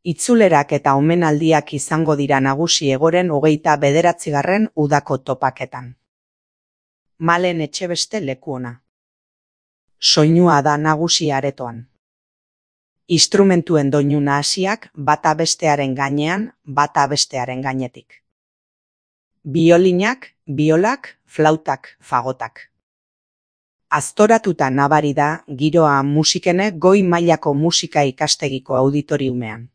Itzulerak eta omenaldiak izango dira nagusi Egoren 29. udako topaketan. Malen Etxebeste leku ona. Soinua da nagusi aretoan. Instrumentuen doinu nahasiak bata bestearen gainean, bata bestearen gainetik. Biolinak, biolak, flautak, fagotak. Aztoratuta nabari da giroa musikene goi mailako musika ikastegiko auditoriumean.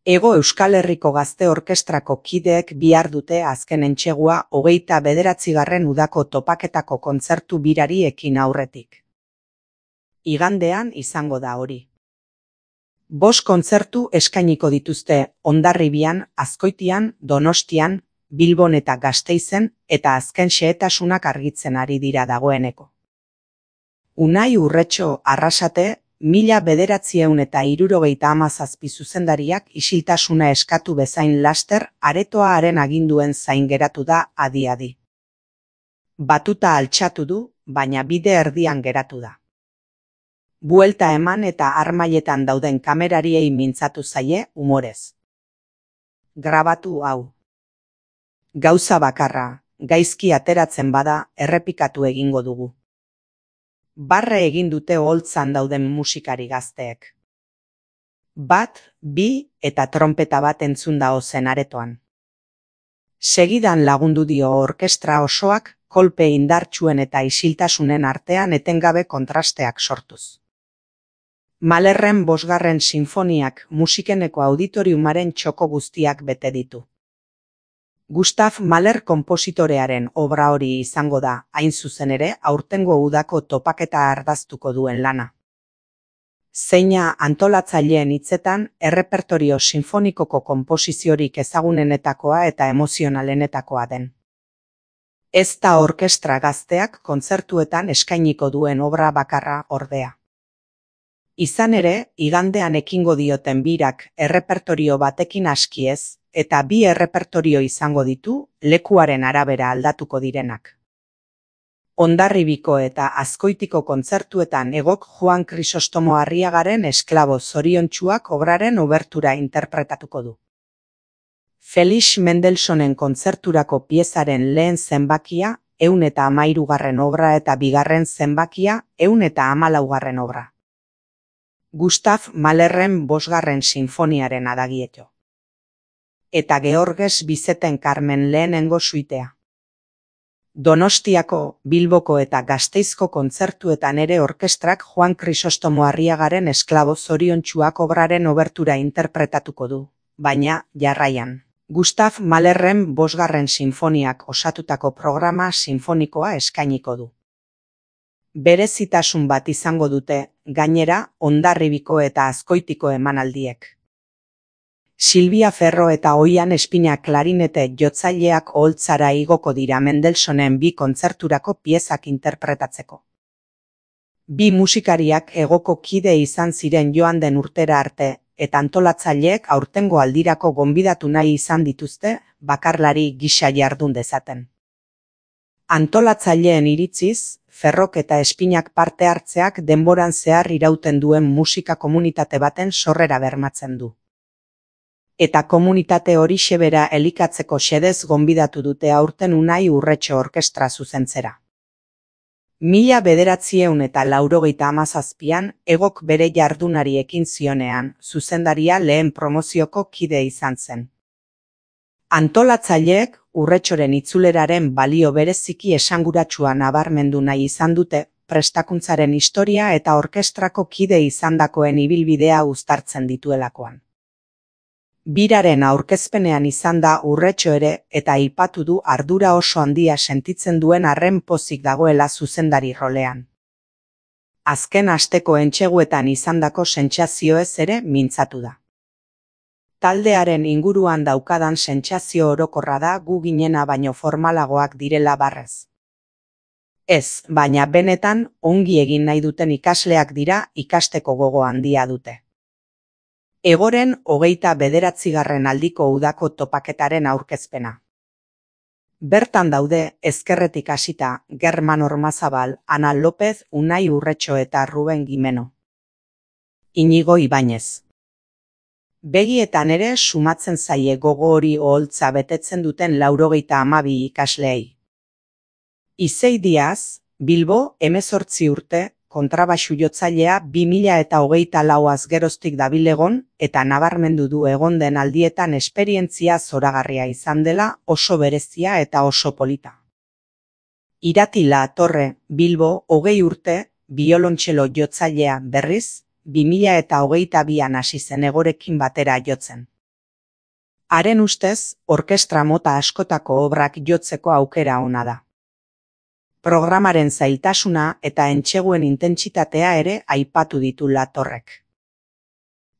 Hego Euskal Herriko Gazte Orkestrako kideek bihar dute azken entsegua 29. udako topaketako kontzertu birari ekin aurretik. Igandean izango da hori. 5 kontzertu eskainiko dituzte Hondarribian, Azkoitian, Donostian, Bilbon eta Gasteizen eta azken xehetasunak argitzen ari dira dagoeneko. Unai Urretxo Arrasate 1977 zuzendariak isiltasuna eskatu bezain laster aretoa haren aginduen zain geratu da adi-adi. Batuta altxatu du, baina bide erdian geratu da. Buelta eman eta harmailetan dauden kamerariei mintzatu zaie umorez. Grabatu hau. Gauza bakarra, gaizki ateratzen bada errepikatu egingo dugu. Barre egin dute oholtzan dauden musikari gazteek. 1, 2 eta tronpeta bat entzun da ozen aretoan. Segidan lagundu dio orkestra osoak kolpe indartsuen eta isiltasunen artean etengabe kontrasteak sortuz. Mahlerren 5. sinfoniak musikeneko auditoriumaren txoko guztiak bete ditu. Gustav Mahler konpositorearen obra hori izango da, hain zuzen ere, aurtengo udako topaketa ardaztuko duen lana. Zeina antolatzaileen hitzetan, errepertorio sinfonikoko konposiziorik ezagunenetakoa eta emozionalenetakoa den. Ez da orkestra gazteak kontzertuetan eskainiko duen obra bakarra ordea. Izan ere, igandean ekingo dioten birak errepertorio batekin askiez, eta 2 errepertorio izango ditu, lekuaren arabera aldatuko direnak. Hondarribiko eta Azkoitiko kontzertuetan Egok Juan Krisostomo Arriagaren Esklabo zoriontsuak obraren obertura interpretatuko du. Felix Mendelssohnen kontzerturako piezaren lehen zenbakia 113. obra eta bigarren zenbakia 114. obra. Gustav Mahlerren 5. sinfoniaren adagieto. Eta Georges Bizeten Carmen lehenengo suitea. Donostiako, Bilboko eta Gasteizko kontzertuetan ere orkestrak Juan Krisostomo Arriagaren Esklabo zoriontsuak obraren obertura interpretatuko du, baina, jarraian, Gustav Mahlerren 5. sinfoniak osatutako programa sinfonikoa eskainiko du. Berezitasun bat izango dute, gainera, Hondarribiko eta Azkoitiko emanaldiek. Silvia Ferro eta Oian Espina klarinete jotzaileak oholtzara igoko dira Mendelssohnen 2 kontzerturako piezak interpretatzeko. 2 musikariak Egoko kide izan ziren joan den urtera arte, eta antolatzaileek aurtengo aldirako gonbidatu nahi izan dituzte, bakarlari gisa jardun dezaten. Antolatzaileen iritziz, Ferrok eta Espinak parte hartzeak denboran zehar irauten duen musika komunitate baten sorrera bermatzen du. Eta komunitate horixe bera elikatzeko xedez gonbidatu dute aurten Unai Urretxo orkestra zuzentzera. 1997an Egok bere jardunari ekin zionean, zuzendaria lehen promozioko kide izan zen. Antolatzaileek Urretxoren itzuleraren balio bereziki esanguratsua nabarmendu nahi izan dute, prestakuntzaren historia eta orkestrako kide izandakoen ibilbidea uztartzen dituelakoan. Biraren aurkezpenean izan da Urretxo ere eta aipatu du ardura oso handia sentitzen duen arren pozik dagoela zuzendari rolean. Azken asteko entseguetan izandako sentsazioez ere mintzatu da. Taldearen inguruan daukadan sentsazio orokorra da gu ginena baino formalagoak direla barrez. Ez, baina benetan ongi egin nahi duten ikasleak dira ikasteko gogo handia dute. Egoren 29. aldiko udako topaketaren aurkezpena. Bertan daude ezkerretik hasita German Ormazabal, Ana López, Unai Urretxo eta Ruben Gimeno. Iñigo Ibáñez. Begietan ere sumatzen zaie gogo hori oholtza betetzen duten 92 ikasleei. Izei Diaz, Bilbo, 18 urte, kontrabaxu jotzailea 2024az geroztik dabilegon eta nabarmendu du egon den aldietan esperientzia zoragarria izan dela, oso berezia eta oso polita. Irati La Torre, Bilbo, 20 urte, biolontxelo jotzailea berriz, 2022an hasi zen egorekin batera jotzen. Haren ustez, orkestra mota askotako obrak jotzeko aukera ona da. Programaren zailtasuna eta entseguen intentsitatea ere aipatu ditu La Torrek.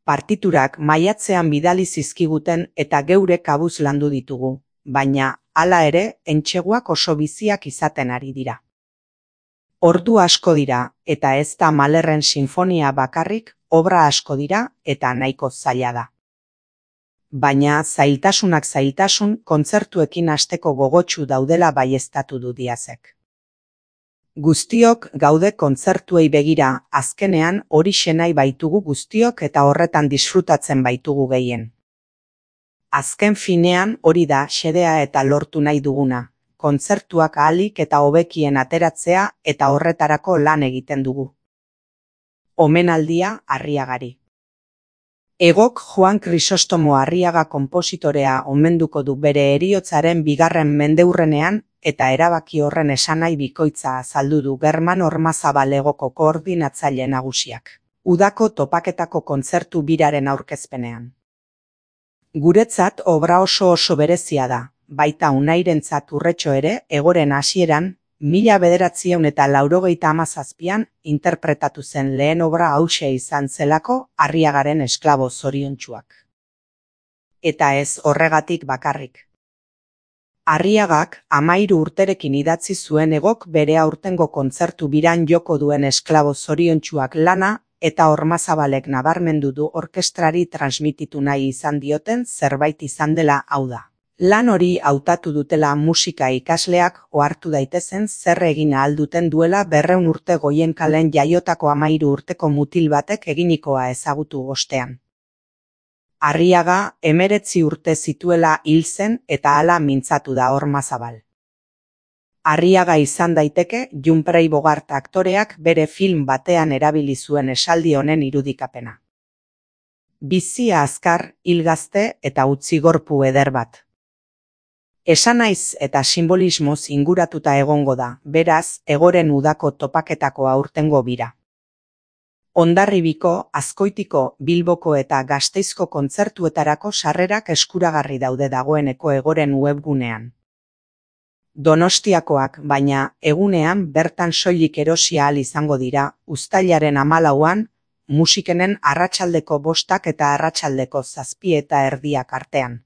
Partiturak maiatzean bidali zizkiguten eta geure kabuz landu ditugu, baina hala ere entseguak oso biziak izaten ari dira. Ordu asko dira eta ez da Mahlerren sinfonia bakarrik, obra asko dira eta nahiko zaila da. Baina zailtasunak zailtasun kontzertuekin hasteko gogotsu daudela baieztatu du Diazek. Guztiok gaude kontzertuei begira, azkenean horixe nahi baitugu guztiok eta horretan disfrutatzen baitugu gehien. Azken finean hori da xedea eta lortu nahi duguna, kontzertuak ahalik eta hobekien ateratzea eta horretarako lan egiten dugu. Omenaldia Arriagari. Egok Juan Krisostomo Arriaga konpositorea omenduko du bere heriotzaren 2. mendeurrenean eta erabaki horren esanahi bikoitza azaldu du German Ormazabal Egoko koordinatzaile nagusiak, udako topaketako kontzertu biraren aurkezpenean. Guretzat obra oso berezia da, baita Unairentzat urretxo ere egoren hasieran, 1997an interpretatu zen lehen obra hauxe izan zelako Arriagaren esklabo zoriontsuak. Eta ez horregatik bakarrik. Arriagak 13 urterekin idatzi zuen Egok bere aurtengo kontzertu biran joko duen esklabo zoriontsuak lana eta Ormazabalek nabarmendu du orkestrari transmititu nahi izan dioten zerbait izan dela, hau da. Lan hori hautatu dutela musika ikasleak ohartu daitezen zer egin ahal duten duela 200 urte Goienkalen jaiotako 13 urteko mutil batek eginikoa ezagutu ostean. Arriaga 19 urte zituela hil zen eta hala mintzatu da Ormazabal. Arriaga izan daiteke Junprei Bogart aktoreak bere film batean erabili zuen esaldi honen irudikapena. Bizia azkar, hil gazte eta utzi gorpu eder bat. Esanaiz eta simbolismoz inguratuta egongo da, beraz, egoren udako topaketako aurtengo bira. Hondarribiko, Azkoitiko, Bilboko eta Gasteizko kontzertuetarako sarrerak eskuragarri daude dagoeneko egoren webgunean. Donostiakoak, baina, egunean bertan soilik erosi ahal izango dira, uztailaren 14an, musikenen arratsaldeko 5 eta arratsaldeko 7:30 artean.